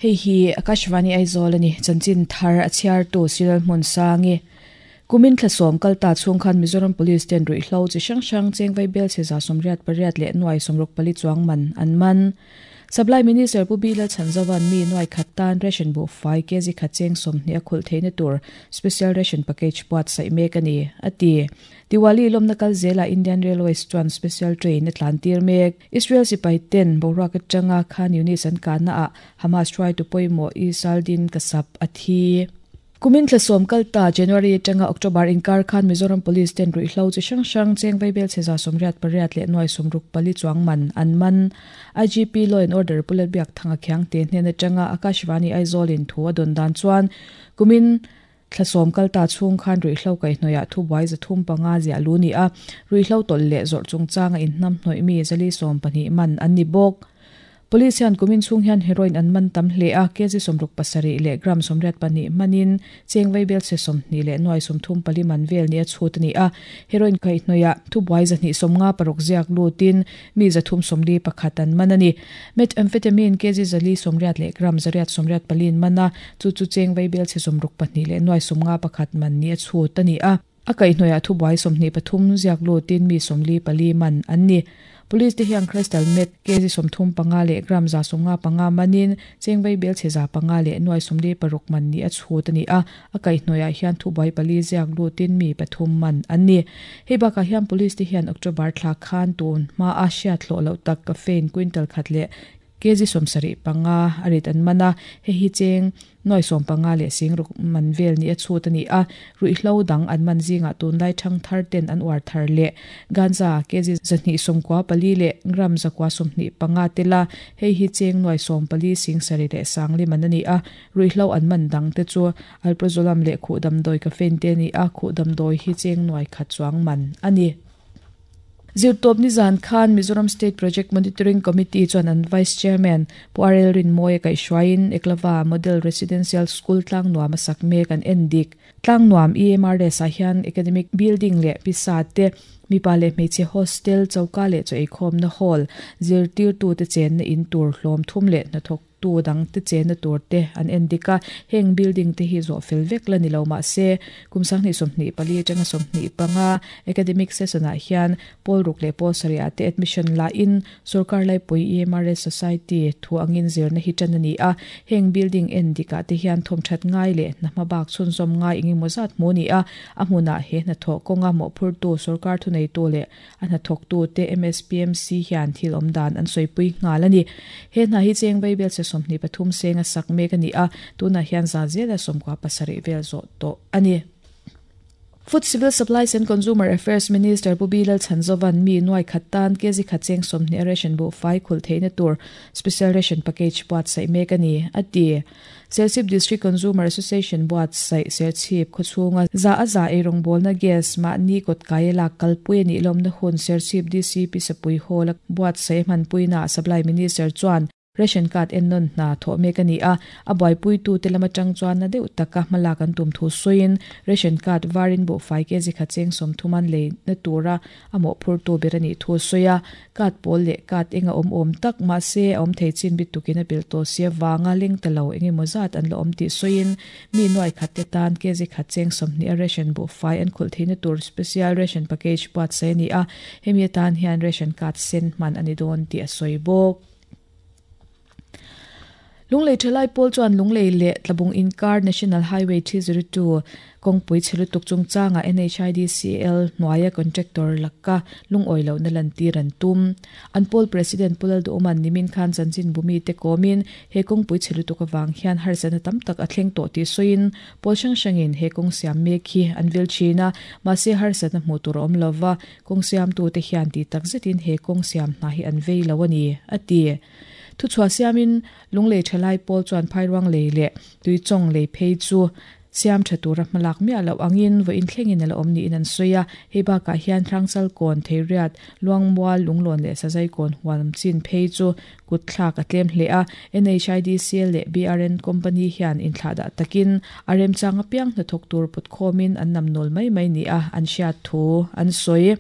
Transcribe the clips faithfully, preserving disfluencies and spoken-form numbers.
Hei hi Akashvani Aizawl ani chanchin thar a chhiar tu Siral Hmun Sangi kumin thlasom kalta chung khan Mizoram Police ten rui hlo chi hrang hrang chengvai bel che za somriat pariat leh nuai somruk pali chuang man an man Supply Minister Pu Bila Chanzawan mi nuai khat tan ration bu fai kg khacheng somhni a khul theina tur special ration package puat sai mek ani ati Diwali lomna kal zela Indian Railways chuan special train atlan tir mek Israel sipai ten boruak atanga Khan Yunis an kana a Hamas try to poimo Isaldin Kasap athi Kumin thlasom kalta January atanga October inkar khan Mizoram Police ten rui hlo chi hrang hrang chengvai bel che za somriat pariat leh nuai somruk pali chuang man an man I G P Law and Order Pulat Biak Thanga Khiang te hnen atanga Akashvani Aizawl in thu a don dan chuan kumin thlasom kalta chung khan rui hlo kai hnoia thu buai za thum panga zia lu ni a rui hlo tol leh zawr chungchanga in hnam hnoi mi zali som pahnih man an ni bawk Police hian kumin chung hian heroin an man tam hle a kg somruk pasarih leh gram somriat pahnih manin chengvai bel se sawmhnih leh nuai sawmthum pali man vel ni a chhut ani a heroin kai hnoia thu buai zahnih sawmnga paruk ziak lutin mi zathum sawmli pakhat an man ani methamphetamine kg zali sawmriat leh gram zariat sawmriat palin mana chu chu chengvai bel se sawmruk pahnih leh nuai sawmnga pakhat man ni a chhut ani a a kai hnoia thu buai sawmhnih pathum ziak lutin mi sawmli pali man an ni Police te hian crystal meth kg sawmthum panga leh gram za sawmnga panga manin chengvai bel che za panga leh nuai sawmli paruk man ni a chhut ani a a kai hnoia hian thu buai pali ziak lutin mi pathum man an ni hei bakah hian police te hian October thla khan tun hma a hriat hlawh loh tak caffeine quintal khat leh kg sawmsarih panga a rit an mana hei hi cheng nuai sawm panga leh singruk man vel ni a chhut ani a rui hlo dang an man zinga tunlai thang thar ten an uar thar leh ganja kg zahnih sawmkua pali leh gram zakua sawmhnih panga tela hei hi cheng nuai sawm pali singsarih leh sangli man ani a rui hlo an man dang te chu alprazolam leh khuh damdawi caffeine te ani a khuh damdawi hi cheng nuai khat chuang man ani Zirtawp ni zan khan Mizoram State Project Monitoring Committee chuan an Vice Chairman Pu Arel Rinmawia kaihhruaiin Eklava Model Residential School tlang nuam a sak mek an en dik tlang nuam E M R S ah hian academic building leh pisa te mipa leh hmeichhe hostel choka leh chaw eikhawmna hall zirtirtu te chenna in tur hlawm thum leh hnathawk tu dang te chenna tur te an en dik a heng building te hi zawh fel vek la ni lo mah se kum sanghnih sawmhnih pali atanga sawmhnih panga academic session ah hian pawl ruk leh pawl sarih ah te admission la in sarkar laipui E M R S Society thu angin zirna hi tan ani a heng building en dik ah te hian thawm that ngai leh hna hma bak chhunzawm ngai engemaw zat hmu ni a a hmunah he hnathawh kawnga mawhphur tu sarkar thu nei tu leh a hnathawk tu te M S P M C hian thil awm dan an sawipui nghal ani he hna hi chengvai bel se sawmhnih pathum senga sak mek ani a tunah hian za zela sawmkua pasarih vel zawh tawh ani Food Civil Supplies and Consumer Affairs Minister Pu Bilal Chanzovan mi nuai khat tan kg khacheng sawmhnih ration bu fai khul theina tur special ration package puat sai mek ani ati Serchhip District Consumer Association buat sai Serchhip khawchhunga za a za eirong bawlna gas mahni kawt kai lak kalpui ani lawmna hun Serchhip D C P Sapui Hall buat sai hmanpuina Supply Minister chuan ration card en non na tho mek ani a a buaipui tu te lama tang chuan na deuh taka hmalak an tum thu soin ration card varin bu fai kg khacheng sawmthuman lei na tura a mawhphur tu ber ani thu soia card pawl leh card enga awm awm tak ma se awm thei chin bit tukin a pil to sia wanga leng talo engemaw zat an la awm tih soin mi nuai khat te tan kg khacheng sawmhnih a ration bu fai an khul theina tur special ration package puat sai ani a hemi atan hian ration card sen hman ani dawn tih a sawi bawk Lunglei thalai pawl chuan Lunglei leh Tlabung inkar National Highway three zero two kawngpui chhelutuk chungchanga N H I D C L hnuaia contractor lakka lungawi lo na lan tir an tum an pawl president Pulal Duman nimin khan chanchin bumi te komin he kawngpui chhelutuk awang hian harsatna tam tak a thleng tawh tih sawiin pawl hrang hrangin he kawng siam mek hi an vil thin a mahse harsatna hmuh tur a awm lova kawng siam tu te hian ti tak zetin he kawng siam hna hi an vei lo ani a ti thu chhuah siamin Lunglei thalai pawl chuan phairuang lei leh tuichawng lei phei chu siam tha tura hmalak miah loh angin vawiin thlengin a la awm niin an sawi a hei bakah hian Hrangchal kawn Theiriat Luangmual Lunglawn leh Sazai kawn huam chin phei chu kut thlak a tlem hle a N H I D C L leh B R N Company hian inthlah dah takin a remchang apiang hnathawk tur put khawmin an nam nawl mai mai ni a an hriat thu an sawi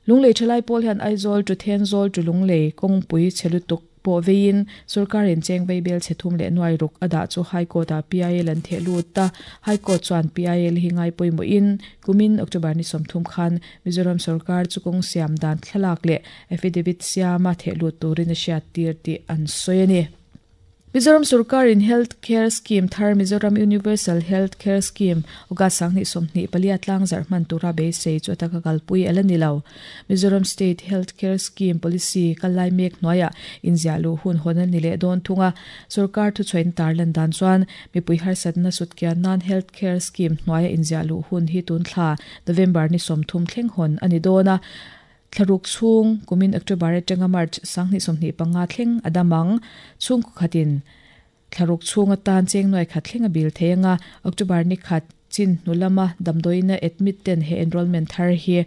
Lunglei thalai pawl hian Aizawl to Thenzawl to Lunglei kawngpui chhelutuk Po vein sarkarin cheng veibel chethum le nuai ruk ada chu High Court a P I L an the lut ta High Court chuan P I L hi ngai poimo in kumin October ni somthum khan Mizoram sarkar chukong siam dan thlalak le affidavit siama the lut turin a hriat tir ti an soini. Mizoram Sarkar in Health Care Scheme thar Mizoram Universal Health Care Scheme uga sangni somni palia tlang zarhman tura be sei chu ataka kalpui alanilo Mizoram State Health Care Scheme Policy kalai mek noya inzialu hun honan nile don thunga Sarkar thu choin tarlan dan chuan mipui har satna sutkia non health care scheme noya inzialu hun hi tun thla November ni somthum thleng hon ani dona Tharuk chung kumin October atanga March sangni somni panga thleng adamang chung khatin tharuk chung atan cheng noi khat thlenga bil theinga October ni khat chin nulama damdoina admit ten he enrollment thar hi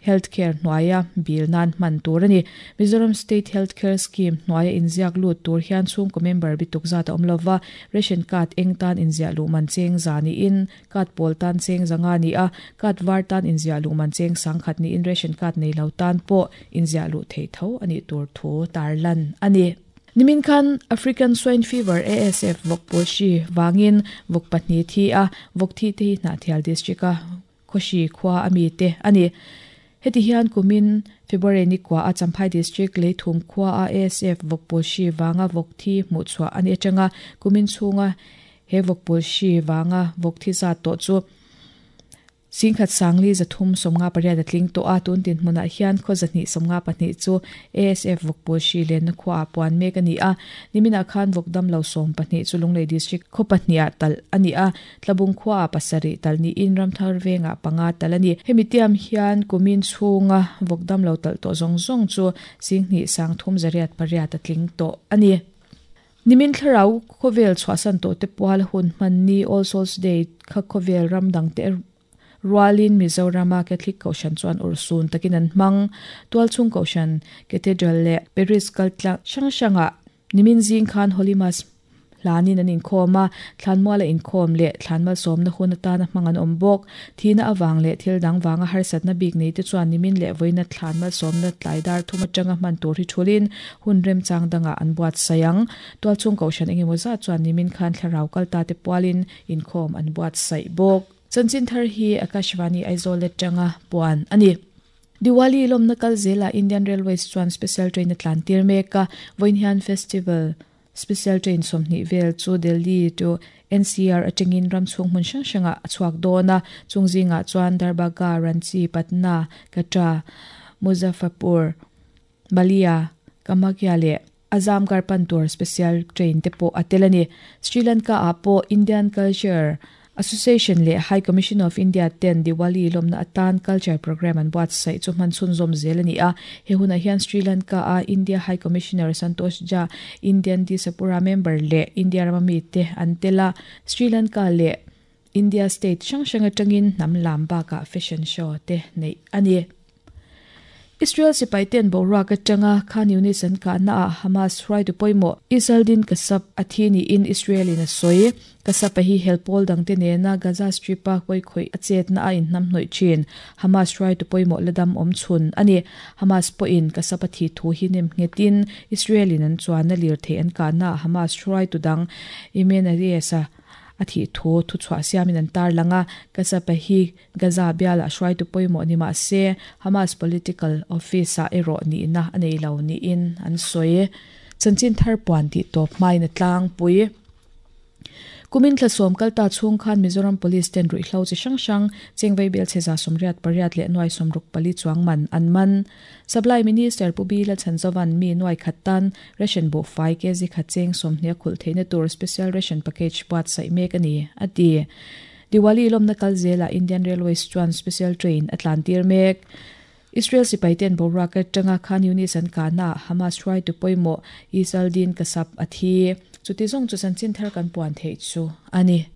healthcare noya bil nan man tur ani Mizoram State Healthcare Scheme noya inziak lu tur hian chung ko member bituk za ta omlova ration card eng tan inzia lu man cheng zani in card pol tan cheng zanga ni a card var tan inzia lu man cheng sangkhat ni in ration card nei lo tan po inzia lu thei tho ani tur thu tarlan ani. Nimin khan African Swine Fever A S F vok poshi wangin vok patni thi a vok thi te na thial district a khoshi khwa ami te ani. Heti hian kumin February ni kwa a Champhai district le thum khwa a A S F vokpol shi wanga vokthi mu chwa ani atanga kumin chunga he vokpol shi wanga vokthi za to chu singkhat sangli zathum somnga pariat atling to a tun tin hmuna hian khozani somnga pahni chu A S F vokpol shi len khwa puan mek ani a nimina khan vokdam lo som pahni chu Lunglei district kho pahnia tal ani a tlabung khwa pasari tal ni in ramthar venga panga tal ani hemitiam hian kumin chunga vokdam lo tal to zong zong chu singni sangthum zariat pariat atling to ani. Nimin thlarau khovel chhuasan to te pual hun manni All Souls Day kha khovel ramdang te Rualin Mizorama Catholic Koshan chuan ursun takin an mang tualchung Koshan Cathedral le Paris kaltla shangshanga nimin jing khan Holy Mass lanin an inkhawma thlanmuala inkhawm le thlanmal sawmna hun atana hmangan awm bawk thina awang le thil dang wanga harsatna bik nei te chuan nimin le voina thlanmal sawmna tlaidar thuma tanga hman tur hi thulin hun rem chang danga an buat sayang tualchung Koshan engemaw za chuan nimin khan thlarau kalta te pualin inkhawm an buat sai bawk. Chanchin thar hi Akashvani Aizawl atanga puan ani. Diwali lomna kal zela Indian Railways chuan special train atlan tir meka Voinhian Festival special train somni vel chu Delhi to N C R atangin ramchhung hmun hrang hranga chuak dona chungzinga chuan Darbhanga, Ranchi, Patna, Katra, Muzaffarpur, Balia, Kamakhya le Azamgarh Pantur special train te pawh a tel ani. Sri Lanka ah pawh Indian Culture Association le High Commission of India ten Diwali lomna atan culture program an buat sai chu man chun zom zel ani a he huna hian Sri Lanka a India High Commissioner Santosh Jha Indian Diaspora member le India ramami te antela Sri Lanka le India state hrang hrang atangin nam lam baka fashion show te nei ani. Israel sipai ten boruak atanga Khan Yunis an ka na Hamas hruai tu poimo Isaldin Kasap athini in Israel in a soi Kasap hi helpol dang te nena Gaza Strip a koi khoi achet na a in nam hnoi chin Hamas hruai tu poimo ladam om chun ani Hamas po in Kasap athi thu hi nem ngetin Israel in an chuan na lir the an ka na Hamas hruai tu dang Imen Ariesa athi thu thu chwa siamin an tar langa Kasap hi Gaza biala hruai tu poimo ni ma se Hamas political office a ero ni na anei lo ni in an soi chanchin thar puan ti top mai na tlang pui kumin thlasom kalta chung khan Mizoram Police ten rui hlo chi hrang hrang chengvei bel cheza somriat pariat le nuai somruk pali chuang man an man Supply Minister Pubila Chanzovan mi nuai khattan ration bo five kg khacheng somhnia khul theina tur special ration package buat sai mek ani ati Diwali lomna kalzela Indian Railways chuan special train atlantir mek Israel sipai ten boruak atanga Khan Yunis an kana Hamas hruai tu poimo Isaldin Kasap athi chuti zong chu chanchin thar kan puan thei chu ani.